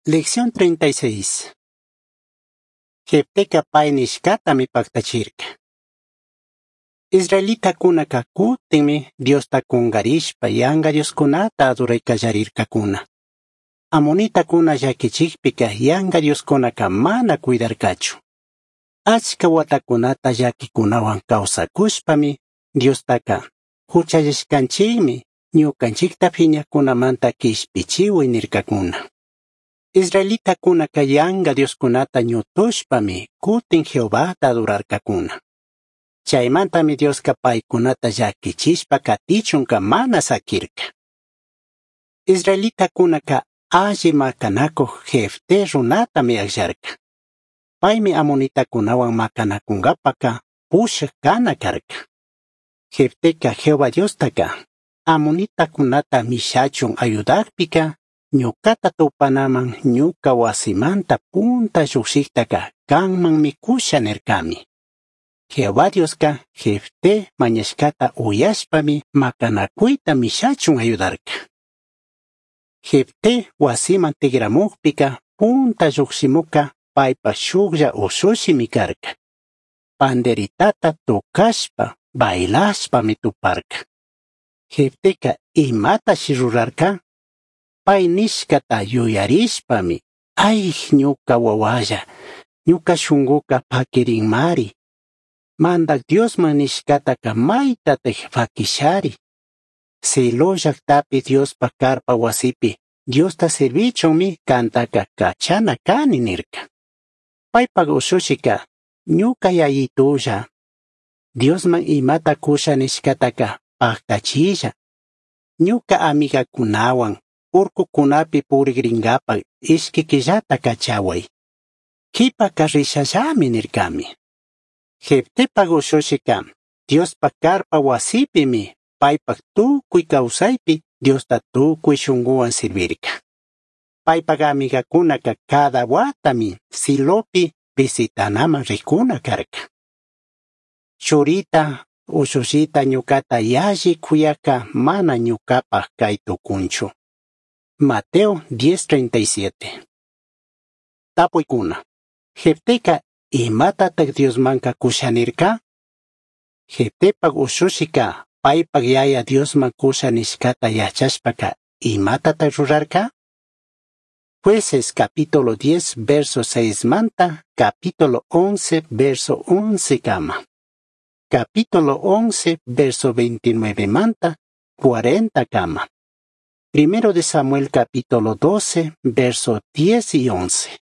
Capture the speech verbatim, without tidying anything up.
Lección treinta y seis. Jefteca pai nishcatami pactachirca. Israelitacunaca cutinmi Diosta cungarishpa yanga dioscunata adorai callarircacuna. Amonitacuna llaquichijpica yanga dioscunaca mana cuidarcachu. Achca huatacunata llaquicunahuan causacushpami Diostaca huchallishcanchikmi ñucanchikta phiñajcunamanta quishpichihui nircacuna. Israelitacunaca yanga dioscunata ñutushpami cutin Jehovata adorarcacuna. Chaymantami Diosca paicunata llaquichishpa catichunca mana saquirca. Israelitacunaca alli macanacuj Jefté runatami agllarca. Paimi amonitacunahuan macanacungapaca pushaj cana carca. Jefteca Jehová Diostaca amonitacunata mishachun ayudajpica ñucata tupanaman ñuca huasimanta punta llujshijtaca canmanmi cusha nircami. Jehová Diosca Jefté mañashcata uyashpami macanacuita mishachun ayudarca. Jefté huasiman tigramujpica punta llujshimuca paipa shujlla ushushimi carca. Panderitata tocashpa bailashpami tuparca. Jefteca imatashi rurarca? Pai nishcata yuyarishpami, ay ñuca wawalla, ñuca shunguca paquirinmari. Mandac Diosman nishcataca maitataj faquishari. Silo llajtapi Diospa carpa huasipi Diosta servichunmi cantaca cachana cani nirca. Paipac ushushika ñuca yayitulla. Diosman imata cusha nishcataca pactachilla. Ñuca amigacunahuan urcucunapi purigringapac ishqui quillata cachahuai. Quipaca rishallami nircami. Jeftepac ushushika Diospa carpa huasipimi paipac tucui causaipi Diosta tucui shunguhuan servirca. Paipac amigacunaca cada huatami Silopi visitanaman ricuna carca. Churita ushushita ñucata yalli cuyaca mana ñucapac cai tucunchu. Mateo diez treinta y siete. Tapuicuna. Jefteca imatataj Diosmanca cusha nirca? Jeftepac ushushika paipac yaya Diosman cusha nishcata yachashpaca imatataj rurarca? Jueces capítulo diez verso seis manta capítulo once verso once kama. Capítulo once verso veintinueve manta cuarenta kama. Primero de Samuel capítulo doce verso diez y once.